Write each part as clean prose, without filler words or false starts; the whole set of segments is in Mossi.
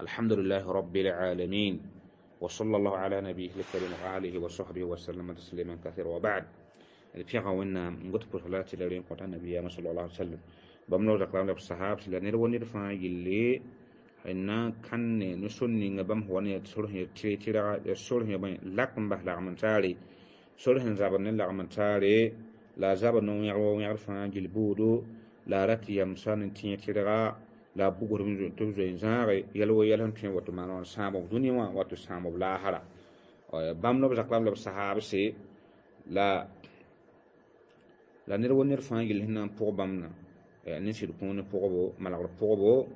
الحمد لله رب العالمين، وصلى الله على نبيه الكريم وآله وصحبه وسلم تسليما كثيرا، وبعد. الفيغا ونا نقول بوصلات لرين قطع النبي صلى الله عليه وسلم بمنو ذكرنا الصحابة لنير ونير فا يلي إن كان نسوني نبم هو نيت صلح تيرا صلح بين لكم بهلا من تاري صلح زابن لا من تاري لا زابن نو يعو يعرف عن بودو لا رتي يمسان تيرا لا بوغر من تبزو زاري يلو يلهم تين وتو مانون سامو دنيا وتو سامو لاهرا بام نو زكلام لب صحابة سي لا لا نير ونير فان يل هنا بوغ بامنا نسير كون بوغبو ملاغ بوغبو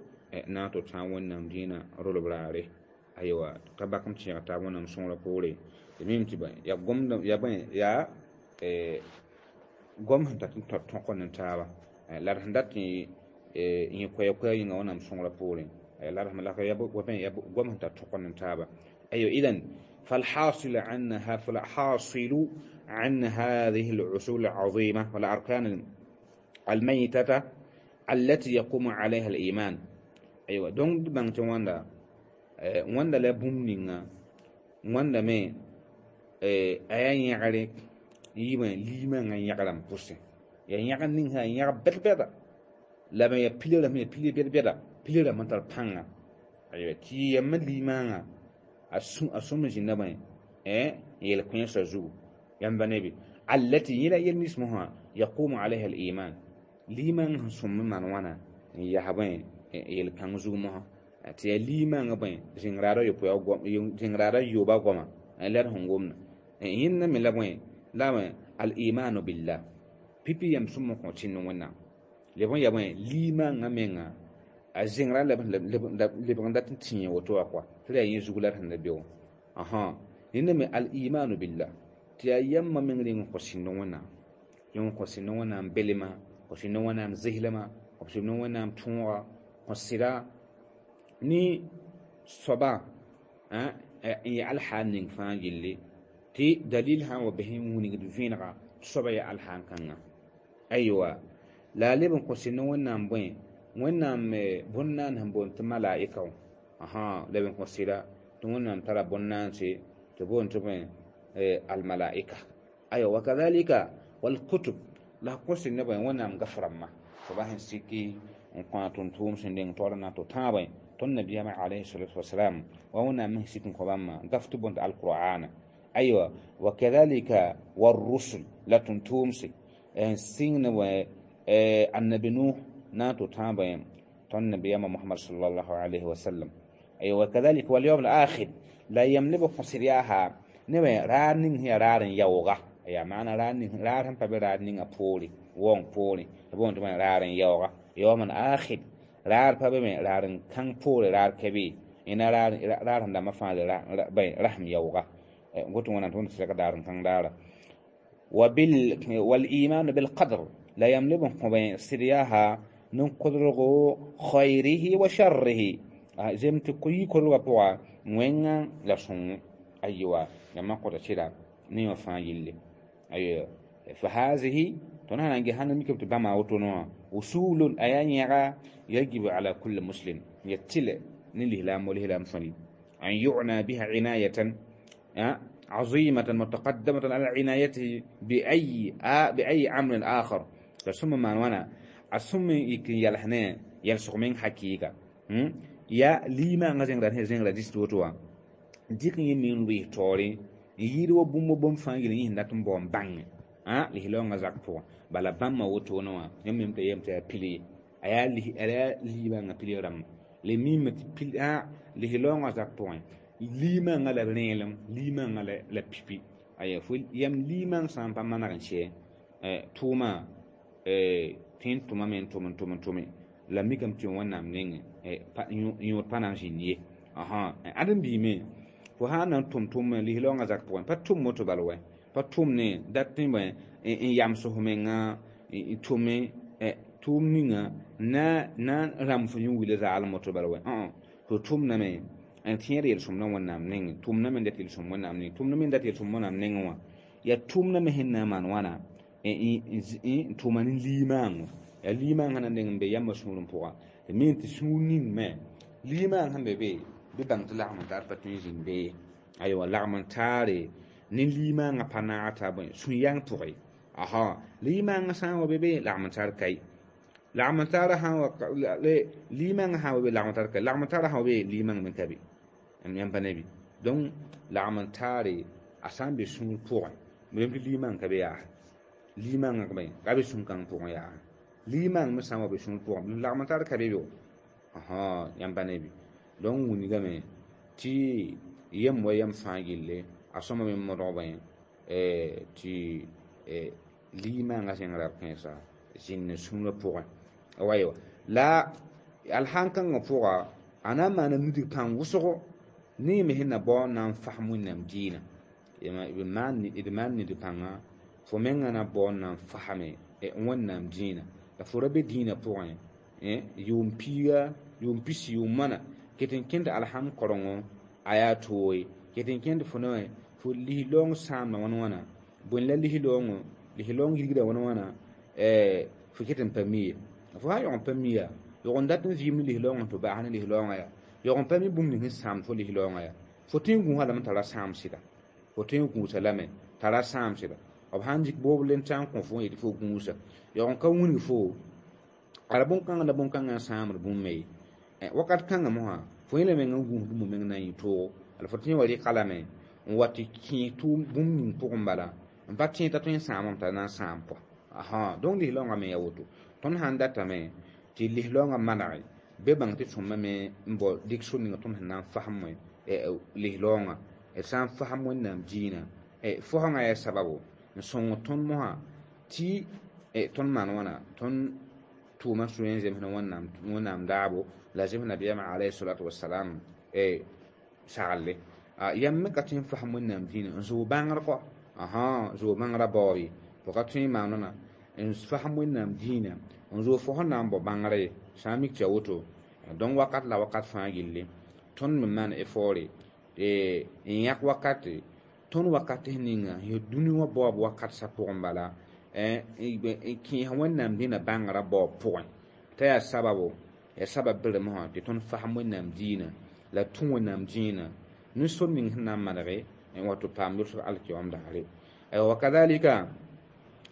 ناتو تاون نام دينا رولو براري أيوة كباكم تيغ تاون نام سون لبوري ميم تبا يا قوم يا بين يا قوم هنتا تنقل نتابا لا رهندات يكوي كوي ينغو نام سون لبوري لا رحم الله يا بو بين يا قوم هنتا تنقل نتابا. أيوة إذن فالحاصل عنها فالحاصل عن هذه العصول العظيمة والأركان الميتة التي يقوم عليها الإيمان. أيوة دونك بانت واندا واندا لا بومنينا واندا مي أيان يعرف يما ليما يعلم بوسه يعني يعلم يعرف بيت لما يبيل لما يبيل بيت بيت بيل لما تربانga. أيوة تي يما ليما أسوم جنبه يلقين سجو ينبني التي يلا يلمسها يقوم عليها الإيمان ليما سم من وانا يهبين يلقين زومها تي ليما بين زنغرارا يبوا زنغرارا يوبا قما لا هنقومنا إن من لبين لا الإيمان بالله بيبي يمسم قتين ونا لبين يبين ليما نمنا الزنغرا لبين دات تيني وتوقع تلا يزغلر هنبيو أها إنما الإيمان بالله تيام من رين قسينونا يوم قسينونا بلما قسينونا زهلما قسينونا تونغا قسيرا ني صبا يا الحان فان يلي تي دليلها وبهم ونقد فينغا صبا يا الحان كنا. أيوة لا لبن قسينونا بوين ونام بنان هم بون تملائكة أها لبن قسيرا تونام ترى بنان سي تبون تبين الملائكة. أيوة وكذلك والكتب لا قص النبي ونام غفرما صباح سيكي وقاتون توم سندين تورنا تتابع النبي عليه الصلاة والسلام وهنا مهسكن قبما غفتبون القرآن. أيوة وكذلك والرسل لا تنتومسي سين و النبي نوح ناتو تابع النبي محمد صلى الله عليه وسلم. أيوة وكذلك واليوم الآخر لا يملك قصرياها نبي رانين هي رارن يوغا يا معنى رانين رارن فبرانين أبولي وون بولي تبون تبون رارن يوغا يوم آخر رار فبمن رارن كان بولي رار كبي إن رار رارن لما فعل رار بين رحم يوغا قلت وانا تون سكر دارن كان دارا والإيمان بالقدر لا يملك بين سرياها نقدره خيره وشره زي ما تقولي كل وقوع وين لا سون. أيوة لما قلت شيء نيو فايل. أيوة فهذه تنهى عن جهنم يمكن تبقى مع وتنوع وصول أيان يرى يجب على كل مسلم يتلع نلهلام ولهلام فني أن يعنى بها عناية عظيمة متقدمة على عنايته بأي أمر آخر. ثم ما وانا أسمي يمكن يلحنا يلصق من حقيقة يا لما غزين راه زين راه ديستوتوا ديك يمين وي توري ييرو بوم بوم فانغ ني ناتم بوم بان لهلو غزاك بو بالا بام ما وتو نوا يميم تيم تي بيلي ايا لي ايا ليما غا بيلي رام لي ميم تي بيلي لهلو غزاك بو ليما غا لا ريلم ليما غا لا بيبي ايا فول يم ليما سان با مانا شي توما تين توما من تومن تومن تومن لا ميكم تي ونام نين يور بانان جيني أها أدم بيمي وهانا توم توم لهلونغ زاك بوين باتوم موتو بالوي باتوم ني داتين بوين إن يامسو همينغا تومي توم نينغا نا نا رام فيون ويل زال موتو بالوي تو توم نامي أن تيري يلسوم نوان نام نين توم نامي دات يلسوم نام نين توم نامي دات يلسوم نام نين وا يا توم نامي هن مان وانا إن توم نين ليمان يا ليمان هنا نين بيام مسؤولون بوا مين تسونين ما Limaang sẽn be be bɩ bãng tɩ lagm n tar pa tõe n zĩnd be. Aywa, lagm n taare ne limaangã pa naag t'a bõe sũ-yãng pʋgẽ. Aha, limaangã sã n wa be be, lagm n tar kai. Lagm n taara sã n wa limaangã sã n wa be, lagm n tar kai. Lagm n taara sã n wa be, limaang me ka be. Yãmb pa ne bɩ? Donc lagm n taare a sã n be sũur pʋgẽ, tɩ limaang ka be yaa. Limaangã ka be sũ-kãng pʋgẽ yaa. Limaang me sã n wa be sũur pʋgẽ, lagm n tar ka be bɩ? Aha, yãmb pa ne bɩ? Donc wilgame tɩ yem wa yam fãa gilli a sõma me modg bõe tɩ limaangã zẽng rab-kãensã zĩnd ne sũurã pʋgẽ. Waywa la alhãn-kãngã pʋga a na n maana nudg pãng wʋsgo ne yẽ me sẽn na bao n na n fasem Wẽnnaam diinã. D maan nidg pãnga fo mengã na bao n na n fasme Wẽnnaam diinã. La fo ra be diinã pʋgẽ yʋʋm piiga, yʋʋm pisi, yʋʋm wãna ket n kẽnd alham korengo a yaa tooye, ket n kẽnd fo ne fo lis-loong sãamda wãn wãna, bõe la lis-loongo, lis-loong yirgda wãn wãna, fo ket n pa mi ye. Fo sã n yog n pa mi yaa, yog n dat n vɩɩm ne lis-loongã tɩ bas ne lis-loongã yaa, yog n pa mi bũmb ning sẽn sãamd fo lis-loongã yaa, fo tõe n gũusa lame t'a ra sãam sɩda. Fo tõe n gũusa lame t'a ra sãam sɩda. B sãn dɩk boob le n tã n kõ fo n yetɩ fo gũusa, yog n ka wilg fo ala bõn-kãngã la bõn-kãngã n sãamd bũmb ye. Wakat kãngã mosã fo yẽ la meng n gũus bũmb meng na n yɩ toogo. La fo tõe n wa rɩka lame n wa tɩ kẽes tʋʋm bũmb ning pʋgẽ bala n pa tẽ t'a tõe n sãamame t'a na n sãam kɔa. Aha, donc lis-loongã me yaa woto. Tõnd sãn datame tɩ lis-loongã manege bɩ bãng tɩ sõma me n bao dɩk sor ninga tõnd sẽn na n fasem lis-loongã, d sã n fasem Wẽnnaam diinã, fosgã yaa sababo n sõng tõnd mosã tɩ tõnd maan wãna tõnd tʋʋma sũ n zemsd Wẽnnaam daabo la zems nabiyaamã alayhi salatu wasalam saglle. Yãmb me ka tõe n fasem Wẽnnaam diinã n zoog bãngr kɔ. Aha, zoog bãngrã baoob ye. Fo ka tõe n maan wãna n fasem Wẽnnaam diinã n zoog fo sẽn na n bao bãngrã ye, sã n mik tɩ ya woto. Donc wakat la wakat fãa gilli tõnd me maan effort n yãk wakate, tõnd wakat ninga yẽ dũni wã baoob wakat sã pʋgẽ bala n kẽes Wẽnnaam dĩnã bãngrã baoob pʋgẽ t'a yaa sababo, yaa sabab berem wã tɩ tõnd fasem Wẽnnaam diinã la tũ Wẽnnaam diinã ne sor ning sẽn na n manege n wa tɩ paam yʋlsg alkiyom daare. Wa kadalika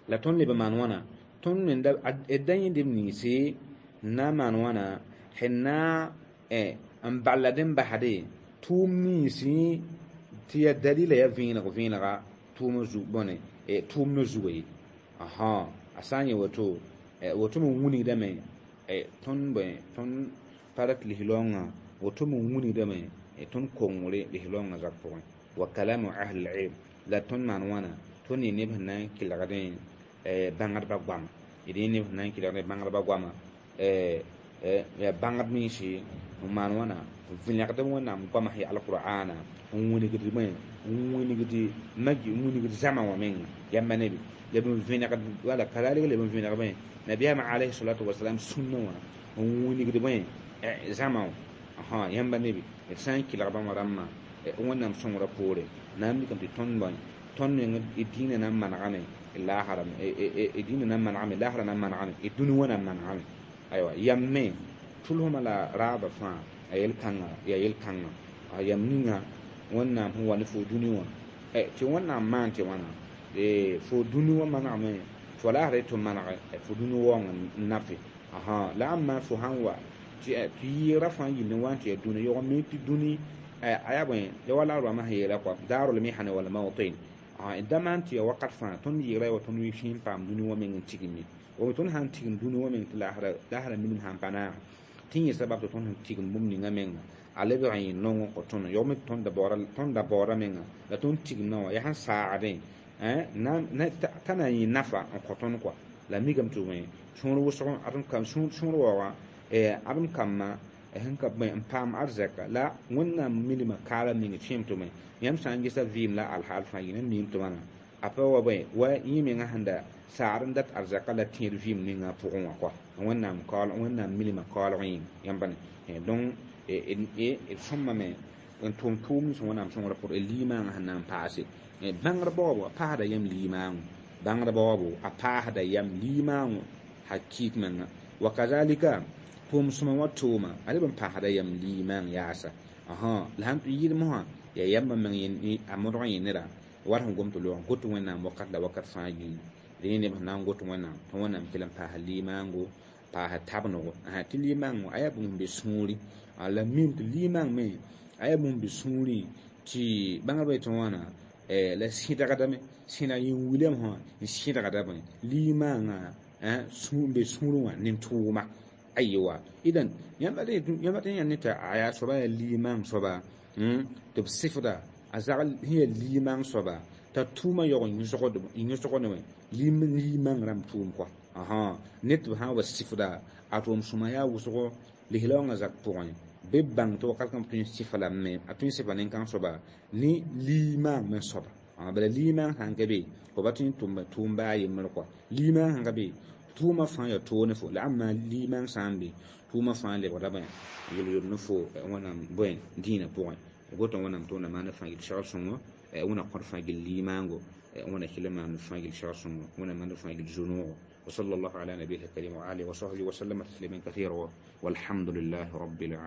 la tõnd leb n maan wãna tõnd me d da yẽdb ninse n na n maan wãna sẽn na n ballad n basde tʋʋm ninsi tɩ yaa dalila yaa vẽeneg vẽenega tʋʋm zu bõne tʋʋm ne zuga ye. Aha, a sã n yẽ woto, woto me wilgdame tõnd bõe tõnd pa rat lis-loongã, woto me wilgdame tõnd kongre lis-loongã zak pʋgẽ. Wa kalamu ahli l-ilm la tõnd maan wãna tõnd yẽ neb sẽn na n kelgdẽ bãngdbã goama, d yẽ neb sẽn na n kelgdẽ bãngdbã goama, yaa bãngd mense n maan wãna vẽlegd Wẽnnaam goama sẽn yaa alqur'ana n wilgd bõe n wilgd magi n wilgd zãma wã menga. Yãmba ne bɩ leb n vẽnegd wala kadalika leb n vẽneg bõe nabiyaamã alayhi salatu wasalam sũnna wã n wilgd bõe zãma wã. Aha, yãmba ne bɩ d sã n kelg bãmb rãmbã Wẽnnaam sõngrã poore na n mikame tɩ tõnd bõe tõnd meng d diinã na n manegame laasra, d diinã na n manegame, laasrã na n manegame, d dũni wã na n manegame. Aywa, yam me tʋlsmã la raabã fãa a yel-kãngã yaa yel-kãngã. Yam ninga Wẽnnaam sẽn wa ne fo dũni wã tɩ Wẽnnaam maan tɩ wãna fo dũni wã manegame, fo laasra tɩ manege fo dũni waoong n nape. Aha, la ãmb maan fo sãn wa tɩ yɩɩgrã fãa yĩnd n wa n tɩ yaa dũni yog n mi tɩ dũni a yaa bõe ya wala a rõamã sẽn yeela kɔa daarul mihane wal mawtin. Da maan tɩ yaa wakat fãa tõnd yɩɩgra wa tõnd sẽn paam dũni wã meng n tigme. Wa tõnd sãn tigm dũni wã meng tɩ laasra minim sãn pa naag tɩ yẽ sabab tɩ tõnd sẽn tigm bũmb ninga menga a lebg n yɩ nongo kõ tõnd yog me tõnd da baoora menga la tõnd tigmdã wã yaa sẽn saagdẽ t'a na n yɩ nafa n kõ tõnd kɔa. La mikame tɩ bõe sũur wʋsg sũur waoogã adem kambã sẽn ka bõe n paam arzɛka la Wẽnnaam milmã kaala meng kẽem tɩ bõe yãmb sã n gesa vɩɩm la alhaal fãa yĩna miim tɩ wãna a pa wa bõe wa yẽ menga sẽn da saad n dat arzɛka la tẽed vɩɩm ninga pʋgẽ wã kɔa Wẽnnaam kaool Wẽnnaam milmã kaoolg yĩnga yãmb ne. Donc d sõmame n tʋʋm tʋʋm nins Wẽnnaam sõngrã pʋgẽ d limaangã sẽn na n paase bãngr baoobo a paasda yam limaango, bãngr baoobo a paasda yam limaango hakik menga. Wa kazalika Tʋʋm sõma wã tʋʋma a leb n paasda yam liimãng yaasa la sãn tɩ yɩlem wã yaa yambã meng a modg n yẽ neda wat sẽn gom tɩ loog got Wẽnnaam wakat la wakat fãa yĩnga dẽ neb sẽn na n got Wẽnnaam tɩ Wẽnnaam kell n paas limaango paas tabnego tɩ limaang a yaa bũmb be sũuri la mim tɩ limaang me a yaa bũmb be sũurẽ tɩ bãngrba yetɩ wãna la sɩdgdame sẽda yĩn wilame wã n sɩdgda bõe limaangã n be sũurẽ wã ne tʋʋma aywa idan yãmb tɩ yã ne tɩ a yaa soaba yaa limaang soaba tɩ b sɩfda a zagl sẽn yaa limaang soaba t'a tʋʋma yaoog n yõsg ne limaang rãmb tʋʋm kɔa ne tɩ b sã n wa sɩfda a tʋʋm sõma yaa wʋsgo lislaoongã zak pʋgẽ bɩ b bãng tɩ wakat kãng tõe n sɩfa lame a tõe n sɩfa nin-kãng soaba ne limaang me soaba bala limaang sãn ka be fo pa tõe n tʋm tʋʋm baa yembr kɔa limaang sãn ka be tʋʋmã fãa yaa toog ne fo la ãmba limaang sã n be tʋʋmã fãa lebgda bõe yel-yood ne fo Wẽnnaam bõe dĩinã pʋgẽ gota Wẽnnaam tɩ Wẽnnaam maan fãa gil segl sõngo Wẽnna kõt fãa gil limaango Wẽnna kell n maan fãa gil segl sõngo Wẽnna maan fãa gil zu-noogo وصلى الله على نبيه الكريم وآله وصحبه وسلم تسليما كثيرا والحمد لله رب العالمين.